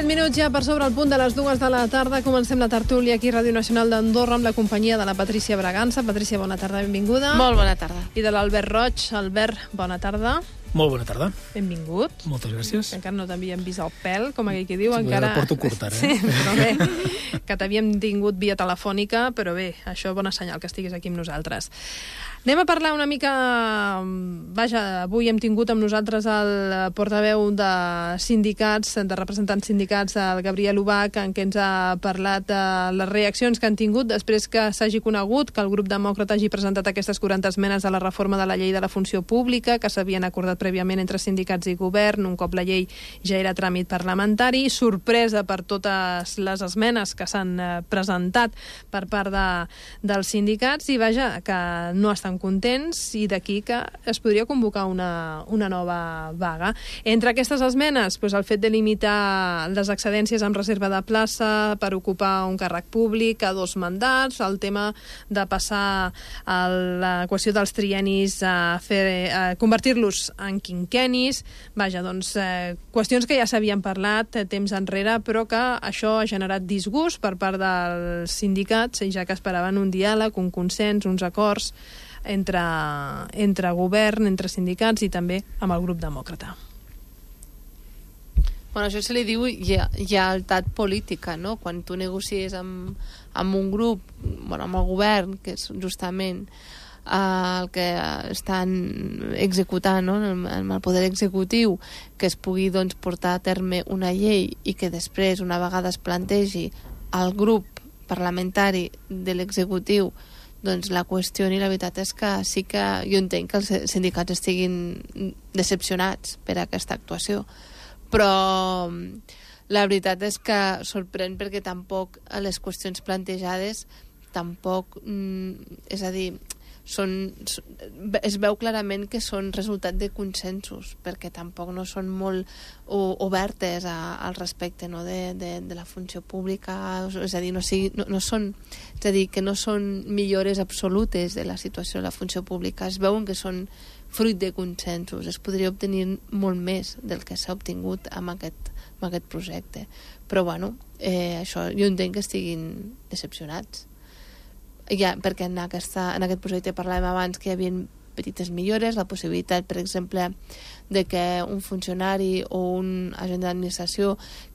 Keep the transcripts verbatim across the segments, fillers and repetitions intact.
minuts ja per sobre el punt de les dues de la tarda. Comencem la tertúlia aquí a Ràdio Nacional d'Andorra amb la companyia de la Patrícia Bragança. Patrícia, bona tarda, benvinguda. Molt bona tarda. I de l'Albert Roig. Albert, bona tarda. Molt bona tarda. Benvingut. Moltes gràcies. Que encara no t'havíem vist el pèl, com aquell que diu. Sí, encara... la porto curta, eh? Sí, però bé, que t'havíem tingut via telefònica, però bé, això és bona senyal que estiguis aquí amb nosaltres. Anem a parlar una mica... Vaja, avui hem tingut amb nosaltres el portaveu de sindicats, de representants sindicats, el Gabriel Ubach, en què ens ha parlat de les reaccions que han tingut després que s'hagi conegut que el grup demòcrata hagi presentat aquestes quaranta esmenes a la reforma de la llei de la funció pública, que s'havien acordat prèviament entre sindicats i govern, un cop la llei ja era tràmit parlamentari. Sorpresa per totes les esmenes que s'han presentat per part de, dels sindicats i, vaja, que no estan contents i d'aquí que es podria convocar una, una nova vaga. Entre aquestes esmenes, doncs el fet de limitar les excedències amb reserva de plaça per ocupar un càrrec públic a dos mandats, el tema de passar a la qüestió dels triennis a, fer, a convertir-los en quinquennis, vaja, doncs eh, qüestions que ja s'havien parlat temps enrere, però que això ha generat disgust per part dels sindicats, ja que esperaven un diàleg, un consens, uns acords entre, entre govern, entre sindicats i també amb el grup demòcrata. Bueno, això se li diu lleialtat política, no? Quan tu negocies amb, amb un grup, bueno, amb el govern, que és justament eh, el que estan executant, no? amb el poder executiu, que es pugui doncs, portar a terme una llei i que després, una vegada es plantegi el grup parlamentari de l'executiu, doncs la qüestió i la veritat és que sí que jo entenc que els sindicats estiguin decepcionats per aquesta actuació, però la veritat és que sorprèn perquè tampoc les qüestions plantejades tampoc, és a dir, són, es veu clarament que són resultat de consensos, perquè tampoc no són molt obertes a, al respecte, no, de, de, de la funció pública, és a dir, no, sigui, no, no són, és a dir, que no són millores absolutes de la situació de la funció pública, es veuen que són fruit de consensos, es podria obtenir molt més del que s'ha obtingut amb aquest, amb aquest projecte, però bueno, eh, això jo entenc que estiguin decepcionats. Ja, perquè en, aquesta, en aquest projecte parlàvem abans que hi havia petites millores, la possibilitat, per exemple, de que un funcionari o un agent d'administració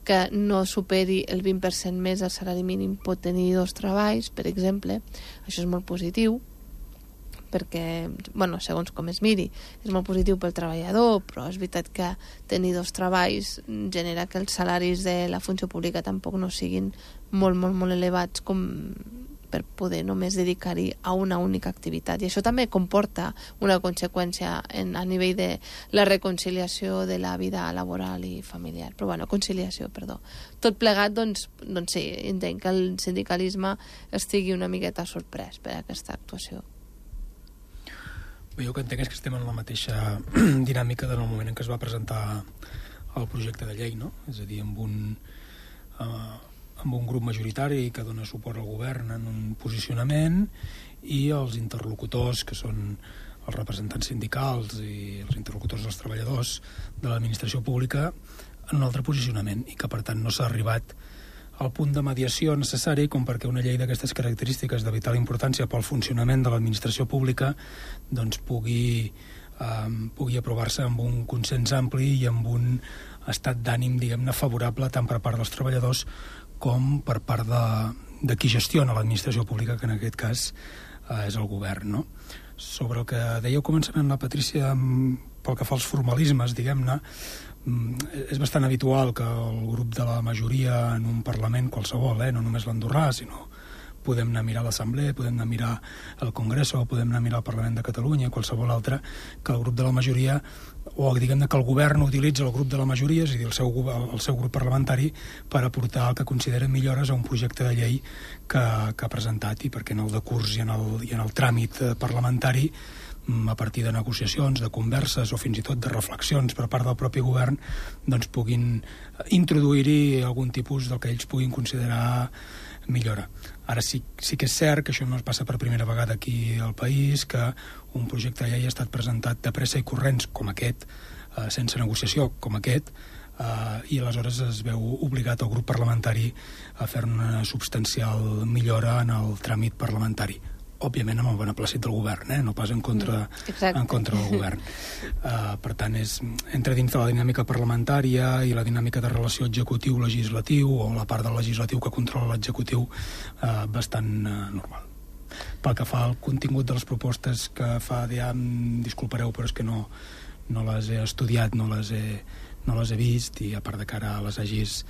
que no superi el vint per cent més del salari mínim pot tenir dos treballs, per exemple. Això és molt positiu, perquè, bueno, segons com es miri, és molt positiu pel treballador, però és veritat que tenir dos treballs genera que els salaris de la funció pública tampoc no siguin molt, molt, molt elevats com per poder només dedicar-hi a una única activitat. I això també comporta una conseqüència en, a nivell de la reconciliació de la vida laboral i familiar. Però bueno, conciliació, perdó. Tot plegat, doncs, doncs sí, entenc que el sindicalisme estigui una miqueta sorprès per aquesta actuació. Bé, jo que entenc és que estem en la mateixa dinàmica del moment en què es va presentar el projecte de llei, no? És a dir, amb un... Uh, amb un grup majoritari que dona suport al govern en un posicionament i els interlocutors, que són els representants sindicals i els interlocutors dels treballadors de l'administració pública, en un altre posicionament, i que per tant no s'ha arribat al punt de mediació necessari com perquè una llei d'aquestes característiques de vital importància pel funcionament de l'administració pública doncs pugui, eh, pugui aprovar-se amb un consens ampli i amb un estat d'ànim, diguem-ne, favorable tant per part dels treballadors com per part de, de qui gestiona l'administració pública, que en aquest cas eh, és el govern, no? Sobre el que dèieu començament, la Patrícia, pel que fa als formalismes, diguem-ne, és bastant habitual que el grup de la majoria en un Parlament qualsevol, eh, no només l'andorrà, sinó podem anar a mirar l'Assemblea, podem anar a mirar el Congreso, podem anar a mirar el Parlament de Catalunya, qualsevol altre, que el grup de la majoria, o diguem-ne que el govern utilitza el grup de la majoria, és a dir, el seu, el seu grup parlamentari, per aportar el que considera millores a un projecte de llei que, que ha presentat, i perquè en el decurs i en el, i en el tràmit parlamentari, a partir de negociacions, de converses o fins i tot de reflexions per part del propi govern, doncs puguin introduir-hi algun tipus del que ells puguin considerar millora. Ara sí, sí que és cert que això no es passa per primera vegada aquí al país, que un projecte de llei ha estat presentat de pressa i corrents com aquest, eh, sense negociació com aquest, Uh, i aleshores es veu obligat el grup parlamentari a fer una substancial millora en el tràmit parlamentari, òbviament amb el beneplàcit del govern, eh? No pas en contra, en contra del govern. Uh, per tant, és, entra dins de la dinàmica parlamentària i la dinàmica de relació executiu-legislatiu, o la part del legislatiu que controla l'executiu, uh, bastant uh, normal. Pel que fa al contingut de les propostes que fa D I A M, disculpareu, però és que no, no les he estudiat, no les he, no les he vist, i a part de que ara les hagis,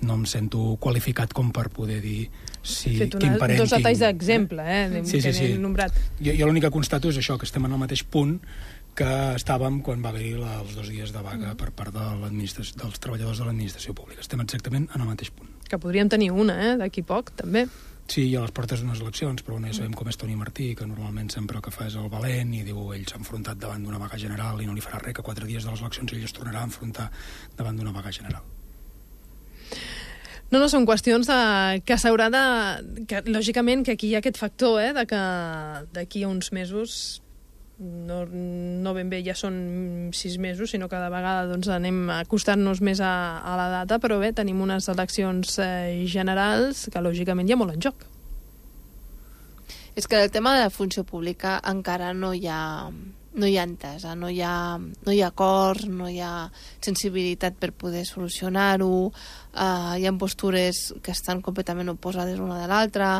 no em sento qualificat com per poder dir si, una, quin parent dos detalls tinc. d'exemple, eh? Sí, sí, sí. Nombrat. Jo, jo l'únic que constato és això, que estem en el mateix punt que estàvem quan va haver-hi els dos dies de vaga mm. per part de dels treballadors de l'administració pública. Estem exactament en el mateix punt. Que podríem tenir una, eh? D'aquí poc, també. Sí, hi ha les portes d'unes eleccions, però ja sabem com és Toni Martí, que normalment sempre el que fa és el valent i diu ell s'ha enfrontat davant d'una vaga general i no li farà res, que quatre dies de les eleccions ell es tornarà a enfrontar davant d'una vaga general. No, no, són qüestions de, que s'haurà de... Que, lògicament que aquí hi ha aquest factor, eh, de que d'aquí a uns mesos, no, no ben bé ja són sis mesos, sinó que cada vegada doncs, anem acostant-nos més a, a la data, però bé, tenim unes eleccions eh, generals que lògicament hi ha molt en joc. És que el tema de la funció pública encara no hi ha... no hi ha entesa, no hi ha, no hi ha acords, no hi ha sensibilitat per poder solucionar-ho, uh, hi ha postures que estan completament oposades una de l'altra,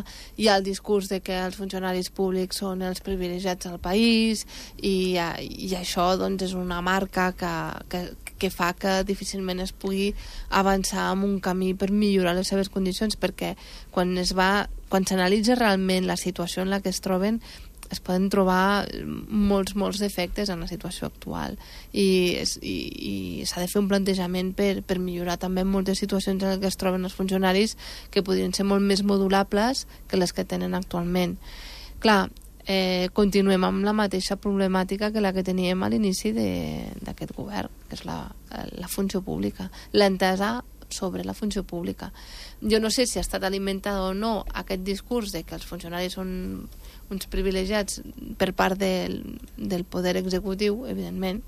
hi ha el discurs de que els funcionaris públics són els privilegiats del país, i, uh, i això doncs, és una marca que, que, que fa que difícilment es pugui avançar en un camí per millorar les seves condicions, perquè quan es va, quan s'analitza realment la situació en la que es troben, es poden trobar molts, molts defectes en la situació actual, i, i, i s'ha de fer un plantejament per, per millorar també moltes situacions en què es troben els funcionaris que podrien ser molt més modulables que les que tenen actualment. Clar, eh, continuem amb la mateixa problemàtica que la que teníem a l'inici d'aquest govern, que és la, la funció pública, l'entesa sobre la funció pública. Jo no sé si ha estat alimentat o no aquest discurs de que els funcionaris són uns privilegiats per part del, del poder executiu, evidentment,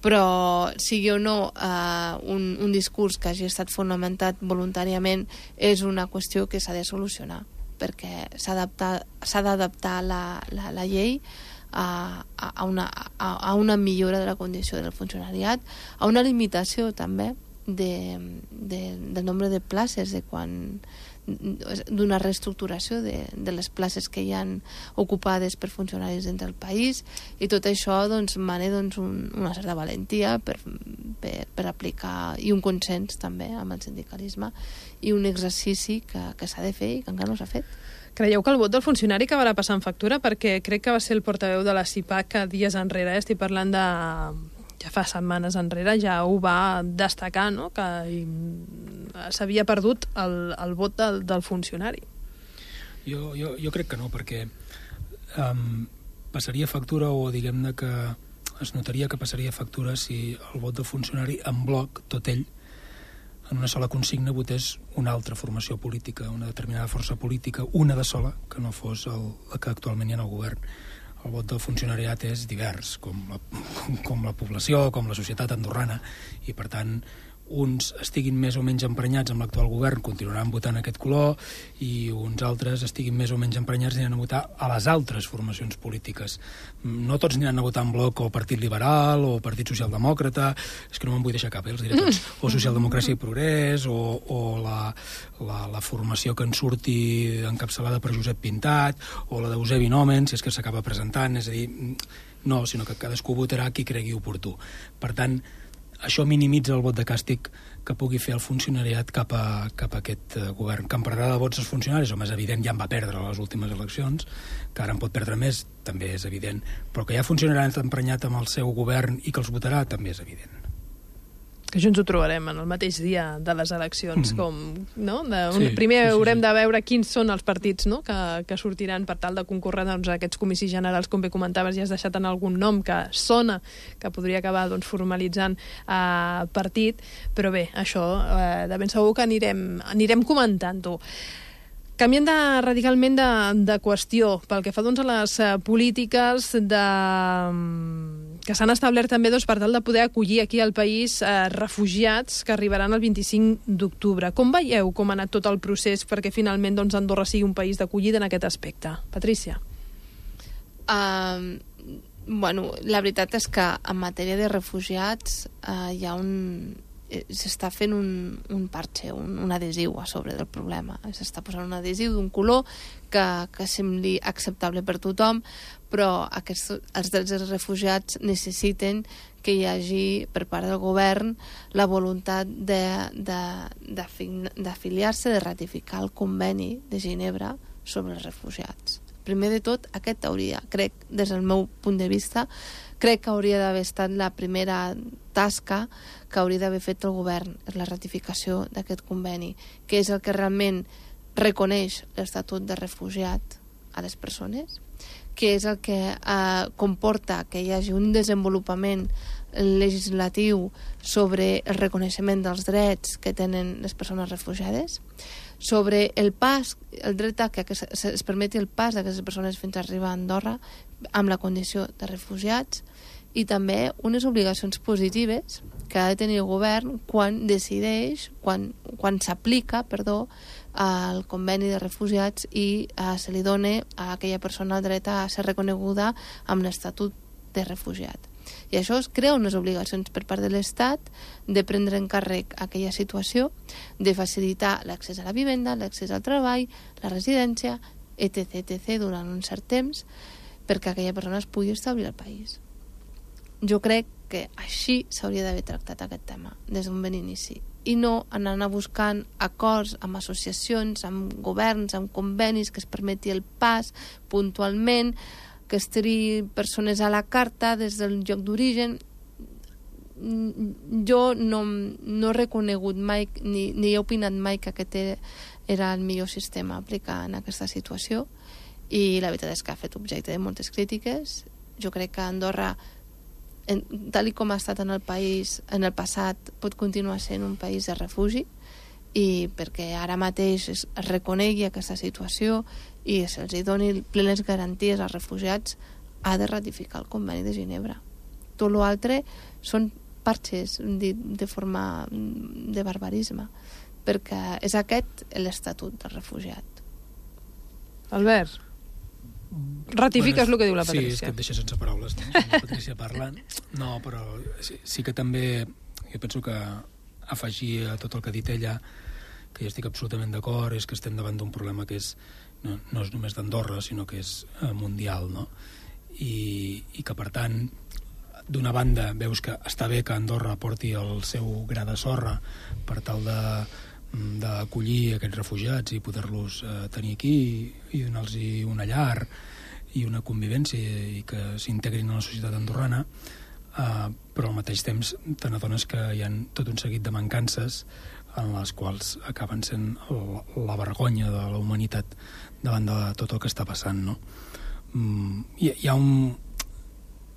però sigui o no eh, un, un discurs que hagi estat fonamentat voluntàriament, és una qüestió que s'ha de solucionar, perquè s'ha d'adaptar la, la, la llei a, a, una, a, a una millora de la condició del funcionariat, a una limitació també de, de, del nombre de places, de quan d'una reestructuració de, de les places que hi han ocupades per funcionaris dins del país, i tot això doncs, mana doncs, un, una certa valentia per, per, per aplicar, i un consens també amb el sindicalisme, i un exercici que, que s'ha de fer i que encara no s'ha fet. Creieu que el vot del funcionari acabarà passant factura? Perquè crec que va ser el portaveu de la C I P A C dies enrere, estic parlant de... ja fa setmanes enrere, ja ho va destacar, no? Que s'havia perdut el, el vot del, del funcionari. Jo, jo, jo crec que no, perquè um, passaria factura, o diguem-ne que es notaria que passaria factura si el vot del funcionari en bloc, tot ell, en una sola consigna votés una altra formació política, una determinada força política, una de sola, que no fos el, la que actualment hi ha en el govern. El vot del funcionariat és divers, com la, com, com la població, com la societat andorrana, i per tant uns estiguin més o menys emprenyats amb l'actual govern continuaran votant aquest color, i uns altres estiguin més o menys emprenyats aniran a votar a les altres formacions polítiques. No tots aniran a votar en bloc o Partit Liberal o Partit Socialdemòcrata, és que no me'n vull deixar cap, eh? Els diré tots, o Socialdemocràcia i Progrés, o, o la, la, la formació que en surti encapçalada per Josep Pintat, o la d'Eusebi Nomen, si és que s'acaba presentant, és a dir, no, sinó que cadascú votarà qui cregui oportú. Per tant, això minimitza el vot de càstig que pugui fer el funcionariat cap a, cap a aquest uh, govern. Que en perdrà de vots els funcionaris, home, és evident, ja en va perdre les últimes eleccions, que ara en pot perdre més, també és evident, però que ja funcionarà emprenyat amb el seu govern i que els votarà, també és evident. Que junts ho trobarem en el mateix dia de les eleccions, mm. com, no? De, un, sí, primer sí, sí, haurem sí. de veure quins són els partits, no? que, que sortiran per tal de concórrer doncs, a aquests comicis generals, com bé comentaves, ja has deixat en algun nom que sona, que podria acabar doncs, formalitzant eh, partit, però bé, això eh, de ben segur que anirem, anirem comentant-ho. Canviant de, radicalment de, de qüestió, pel que fa doncs, a les uh, polítiques de, que s'han establert també doncs, per tal de poder acollir aquí al país eh, refugiats que arribaran el vint-i-cinc d'octubre. Com veieu com ha anat tot el procés perquè finalment doncs, Andorra sigui un país d'acollida en aquest aspecte? Patrícia. Uh, bueno, la veritat és que en matèria de refugiats uh, hi ha un... s'està fent un, un parche, un, un adhesiu a sobre del problema. S'està posant un adhesiu d'un color que, que sembli acceptable per tothom, però aquests, els drets dels refugiats necessiten que hi hagi per part del govern la voluntat d'afiliar-se, de, de, de ratificar el conveni de Ginebra sobre els refugiats. Primer de tot, aquest hauria, crec, des del meu punt de vista, crec que hauria d'haver estat la primera tasca que hauria d'haver fet el govern, és la ratificació d'aquest conveni, que és el que realment reconeix l'estatut de refugiat a les persones, que és el que eh, comporta que hi hagi un desenvolupament legislatiu sobre el reconeixement dels drets que tenen les persones refugiades, sobre el pas, el dret a que es permeti el pas d'aquestes persones fins a arribar a Andorra amb la condició de refugiats, i també unes obligacions positives que ha de tenir el govern quan decideix, quan, quan s'aplica, perdó, al conveni de refugiats i uh, se li dona a aquella persona el dret a ser reconeguda amb l'estatut de refugiat. I això es crea unes obligacions per part de l'Estat de prendre en càrrec aquella situació, de facilitar l'accés a la vivenda, l'accés al treball, la residència, etc etcètera durant un cert temps perquè aquella persona es pugui establir al país. Jo crec que així s'hauria d'haver tractat aquest tema des d'un bon inici i no anant a buscant acords amb associacions, amb governs, amb convenis que es permeti el pas puntualment, que es triï persones a la carta des del lloc d'origen. Jo no, no he reconegut mai ni, ni he opinat mai que aquest era el millor sistema a aplicar en aquesta situació, i la veritat és que ha fet objecte de moltes crítiques. Jo crec que Andorra, en, tal com ha estat en el país en el passat, pot continuar sent un país de refugi, i perquè ara mateix es, es reconegui aquesta situació i se'ls doni plenes garanties als refugiats, ha de ratificar el conveni de Ginebra. Tot l'altre són parxes de, de forma de barbarisme, perquè és aquest l'estatut del refugiat. Albert, ratifiques bueno, el que diu la Patrícia. Sí, és que et deixa sense paraules, no? La Patrícia parlant. No, però sí, sí que també jo penso que afegir a tot el que ha dit ella, que jo estic absolutament d'acord, és que estem davant d'un problema que és, no, no és només d'Andorra, sinó que és eh, mundial, no? I, i que, per tant, d'una banda, veus que està bé que Andorra porti el seu gra de sorra per tal de d'acollir aquests refugiats i poder-los eh, tenir aquí i donar-los una llar i una convivència i que s'integrin a la societat andorrana, eh, però al mateix temps te n'adones que hi ha tot un seguit de mancances en les quals acaben sent la vergonya de la humanitat davant de tot el que està passant, no? Hi, hi ha un...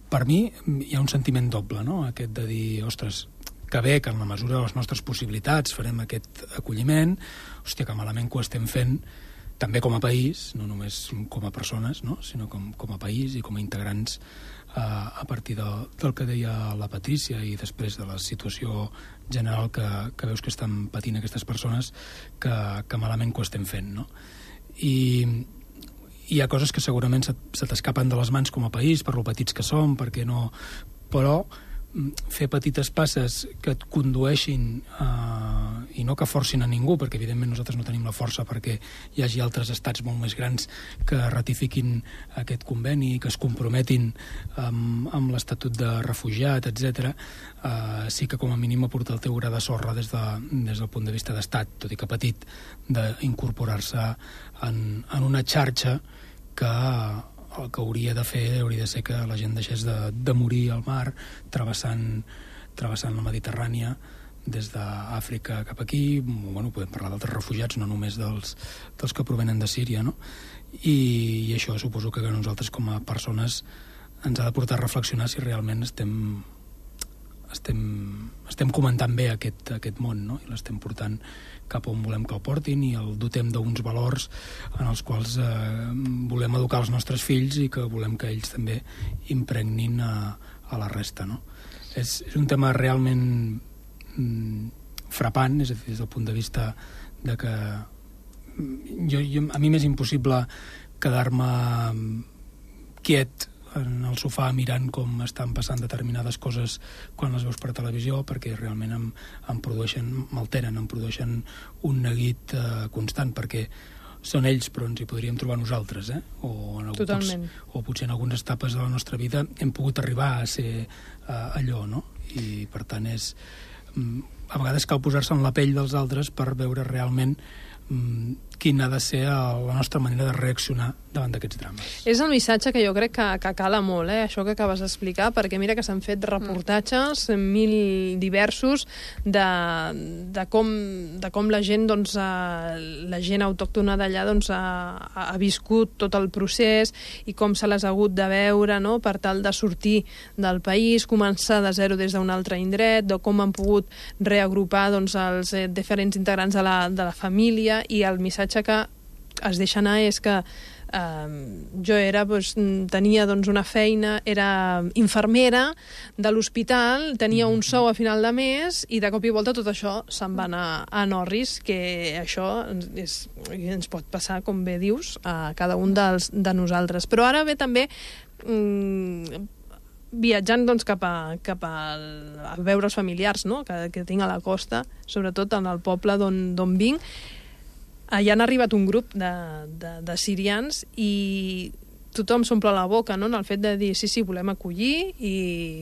Per mi hi ha un sentiment doble, no? Aquest de dir, ostres, que bé que en la mesura de les nostres possibilitats farem aquest acolliment, hòstia, que malament que ho estem fent, també com a país, no només com a persones, no? Sinó com, com a país i com a integrants eh, a partir de, del que deia la Patrícia i després de la situació general que, que veus que estan patint aquestes persones, que, que malament que ho estem fent, no? I hi ha coses que segurament se, se t'escapen de les mans com a país, per lo petits que som, perquè no... Però fer petites passes que et condueixin eh, i no que forcin a ningú, perquè evidentment nosaltres no tenim la força perquè hi hagi altres estats molt més grans que ratifiquin aquest conveni i que es comprometin amb, amb l'estatut de refugiat, etcètera. Eh, sí que com a mínim aportar el teu gra de sorra des, de, des del punt de vista d'estat, tot i que petit, d'incorporar-se en, en una xarxa que el que hauria de fer hauria de ser que la gent deixés de, de morir al mar travessant, travessant la Mediterrània des d'Àfrica cap aquí. Bueno, podem parlar d'altres refugiats, no només dels, dels que provenen de Síria, no? I, i això suposo que nosaltres com a persones ens ha de portar a reflexionar si realment estem estem, estem comentant bé aquest, aquest món, no? I l'estem portant cap on volem que el portin i el dotem d'uns valors en els quals eh, volem educar els nostres fills i que volem que ells també impregnin a, a la resta, no? És, és un tema realment mm, frapant, és a dir, des del punt de vista de que jo, jo, a mi m'és impossible quedar-me quiet en el sofà mirant com estan passant determinades coses quan les veus per televisió, perquè realment em, em produeixen, m'alteren, em produeixen un neguit eh, constant, perquè són ells, però ens hi podríem trobar nosaltres, eh? O en Totalment. Pots, o potser en algunes etapes de la nostra vida hem pogut arribar a ser eh, allò, no? I per tant és... A vegades cal posar-se en la pell dels altres per veure realment mm, quina ha de ser la nostra manera de reaccionar davant d'aquests drames. És el missatge que jo crec que, que cala molt, eh? Això que acabes d'explicar, perquè mira que s'han fet reportatges, mil diversos, de, de, com, de com la gent, doncs, eh, la gent autòctona d'allà doncs, ha, ha viscut tot el procés i com se les ha hagut de veure, no?, per tal de sortir del país, començar de zero des d'un altre indret, de com han pogut reagrupar doncs, els eh, diferents integrants de la, de la família, i el missatge que es deixa anar és que eh, jo era, doncs, tenia doncs, una feina, era infermera de l'hospital, tenia un sou a final de mes i de cop i volta tot això se'n va anar a Norris, que això és, ens pot passar, com bé dius, a cada un dels, de nosaltres. Però ara ve també mm, viatjant doncs, cap, a, cap a, a veure els familiars, no?, que, que tinc a la costa, sobretot en el poble d'on vinc. Allà han arribat un grup de, de, de sirians i tothom s'omple la boca, no?, en el fet de dir sí, sí, volem acollir i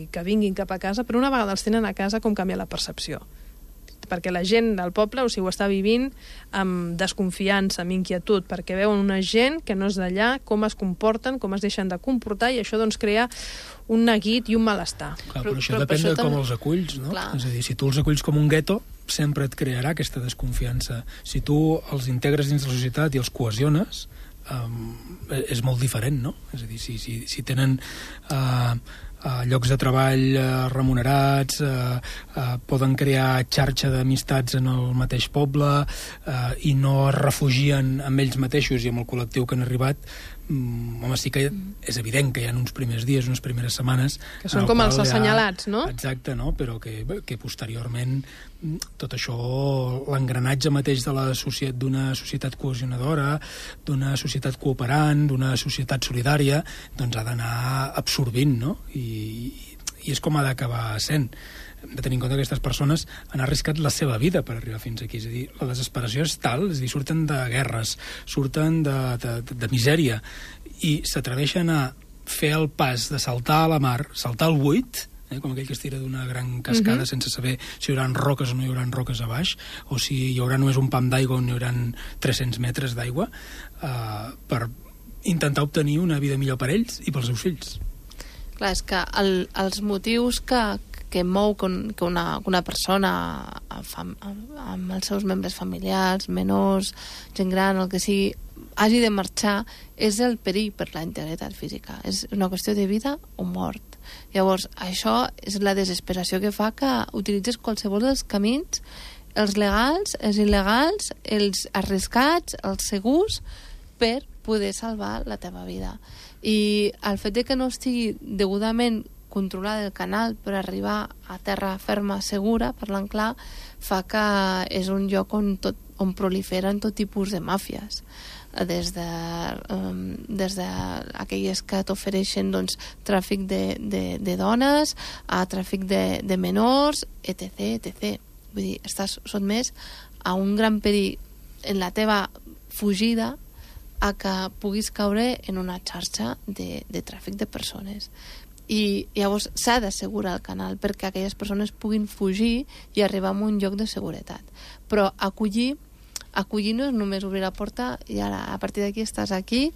que vinguin cap a casa, però una vegada els tenen a casa com canvia la percepció. Perquè la gent del poble, o sigui, ho està vivint amb desconfiança, amb inquietud, perquè veuen una gent que no és d'allà, com es comporten, com es deixen de comportar, i això doncs crea un neguit i un malestar. Clar, però, però això però, depèn però això de com els aculls, no? Clar. És a dir, si tu els aculls com un gueto, sempre et crearà aquesta desconfiança. Si tu els integres dins de la societat i els cohesiones, um, és molt diferent, no? És a dir, si, si, si tenen uh, uh, llocs de treball uh, remunerats, uh, uh, poden crear xarxa d'amistats en el mateix poble uh, i no es refugien amb ells mateixos i amb el col·lectiu que han arribat, Mm, home, sí que és evident que hi ha uns primers dies, unes primeres setmanes... Que són com els assenyalats, no? Exacte, no? Però que, que posteriorment tot això, l'engranatge mateix de la societat, d'una societat cohesionadora, d'una societat cooperant, d'una societat solidària, doncs ha d'anar absorbint, no? I, i és com ha d'acabar sent. Hem de tenir en compte que aquestes persones han arriscat la seva vida per arribar fins aquí. És a dir, la desesperació és tal, és a dir, surten de guerres, surten de, de, de, de misèria, i s'atreveixen a fer el pas de saltar a la mar, saltar al buit, eh, com aquell que es tira d'una gran cascada uh-huh. sense saber si hi haurà roques o no hi haurà roques a baix, o si hi haurà només un pam d'aigua o n'hi haurà tres-cents metres d'aigua, eh, per intentar obtenir una vida millor per ells i pels seus fills. Clar, és que el, els motius que, que mou que una, que una persona amb, amb els seus membres familiars, menors, gent gran, el que sigui, hagi de marxar, és el perill per la integritat física. És una qüestió de vida o mort. Llavors, això és la desesperació que fa que utilitzes qualsevol dels camins, els legals, els il·legals, els arriscats, els segurs, per poder salvar la teva vida. I el fet de que no estigui degudament controlar el canal per arribar a terra ferma segura, parlant clar, fa que és un lloc on, tot, on proliferen tot tipus de màfies, des de, um, des de aquelles que t'ofereixen doncs, tràfic de, de, de dones, a tràfic de, de menors, etc, etcètera. Vull dir, estàs sotmès a un gran perill en la teva fugida a que puguis caure en una xarxa de, de tràfic de persones. I llavors s'ha d'assegurar el canal perquè aquelles persones puguin fugir i arribar a un lloc de seguretat. Però acollir, acollir no és només obrir la porta i ara a partir d'aquí estàs aquí,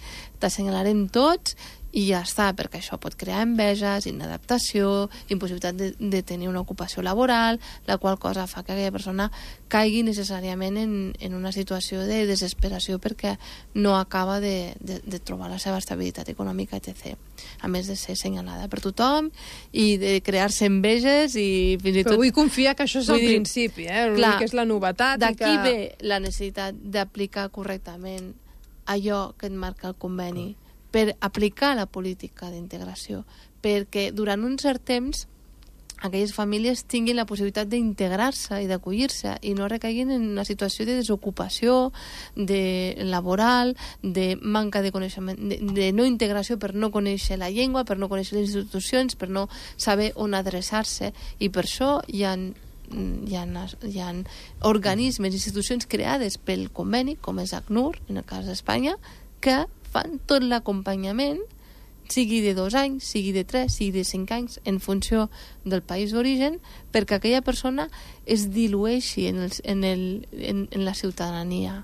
t'assenyalarem tots i ja està, perquè això pot crear enveges, inadaptació, impossibilitat de, de tenir una ocupació laboral, la qual cosa fa que aquella persona caigui necessàriament en, en una situació de desesperació perquè no acaba de, de, de trobar la seva estabilitat econòmica, etcètera. A més de ser assenyalada per tothom i de crear-se enveges i fins i tot... Però vull confiar que això és el principi, eh? Clar, que és la novetat. D'aquí que... ve la necessitat d'aplicar correctament allò que et marca el conveni, per aplicar la política d'integració, perquè durant un cert temps aquelles famílies tinguin la possibilitat d'integrar-se i d'acollir-se i no recaiguin en una situació de desocupació, de laboral, de manca de coneixement, de, de no integració per no conèixer la llengua, per no conèixer les institucions, per no saber on adreçar-se, i per això hi ha, hi ha, hi ha organismes, institucions creades pel conveni, com és ACNUR, en el cas d'Espanya, que fan tot l'acompanyament, sigui de dos anys, sigui de tres, sigui de cinc anys, en funció del país d'origen, perquè aquella persona es dilueixi en, el, en, el, en, en la ciutadania.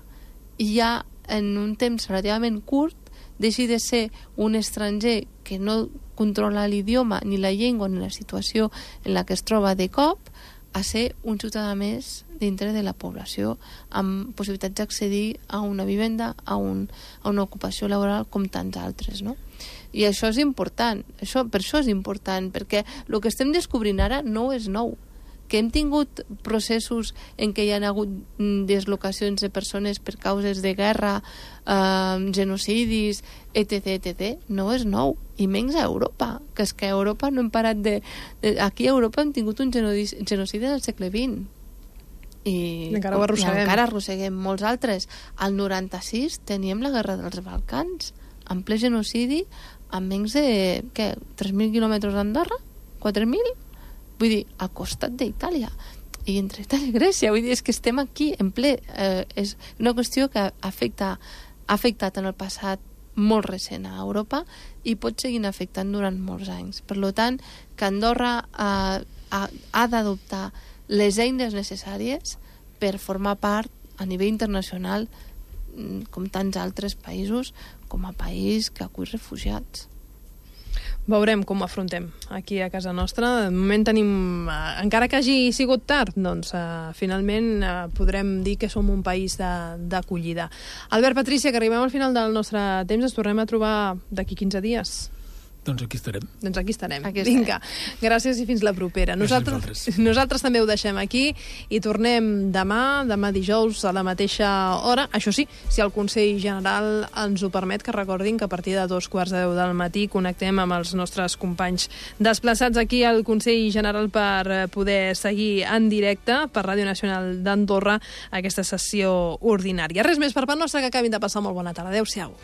I ja en un temps relativament curt deixi de ser un estranger que no controla l'idioma, ni la llengua, ni la situació en la que es troba de cop, a ser un ciutadà més dintre de la població amb possibilitats d'accedir a una vivenda, a, un, a una ocupació laboral com tants altres, no? I això és important, això, per això és important, perquè el que estem descobrint ara no és nou. Que hem tingut processos en què hi ha hagut deslocacions de persones per causes de guerra, eh, genocidis, etc, etcètera, no és nou, i menys a Europa, que és que a Europa no hem parat de... de aquí a Europa hem tingut un genocidi, genocidi del segle vint. I encara ho arrosseguem. I encara arrosseguem molts altres. Al noranta-sis teníem la guerra dels Balcans, en ple genocidi, amb menys de, què, tres mil quilòmetres d'Andorra? quatre mil? Vull dir, al costat d'Itàlia. I entre Itàlia i Grècia. Vull dir, és que estem aquí en ple. Eh, és una qüestió que afecta, ha afectat en el passat molt recent a Europa i pot seguir afectant durant molts anys. Per tant, que Andorra eh, ha, ha d'adoptar les eines necessàries per formar part a nivell internacional, com tants altres països, com a país que acull refugiats. Veurem com ho afrontem aquí a casa nostra. De moment tenim, eh, encara que hagi sigut tard, doncs eh, finalment eh, podrem dir que som un país d'acollida. Albert, Patrícia, que arribem al final del nostre temps, ens tornem a trobar d'aquí quinze dies. Doncs aquí estarem. Doncs aquí estarem. Aquí estarem. Vinga, gràcies i fins la propera. Nosaltres, nosaltres també ho deixem aquí i tornem demà, demà dijous a la mateixa hora. Això sí, si el Consell General ens ho permet, que recordin que a partir de dos quarts de deu del matí connectem amb els nostres companys desplaçats aquí al Consell General per poder seguir en directe per Ràdio Nacional d'Andorra aquesta sessió ordinària. Res més per part nostra, que acabin de passar molt bona tarda. Adéu-siau.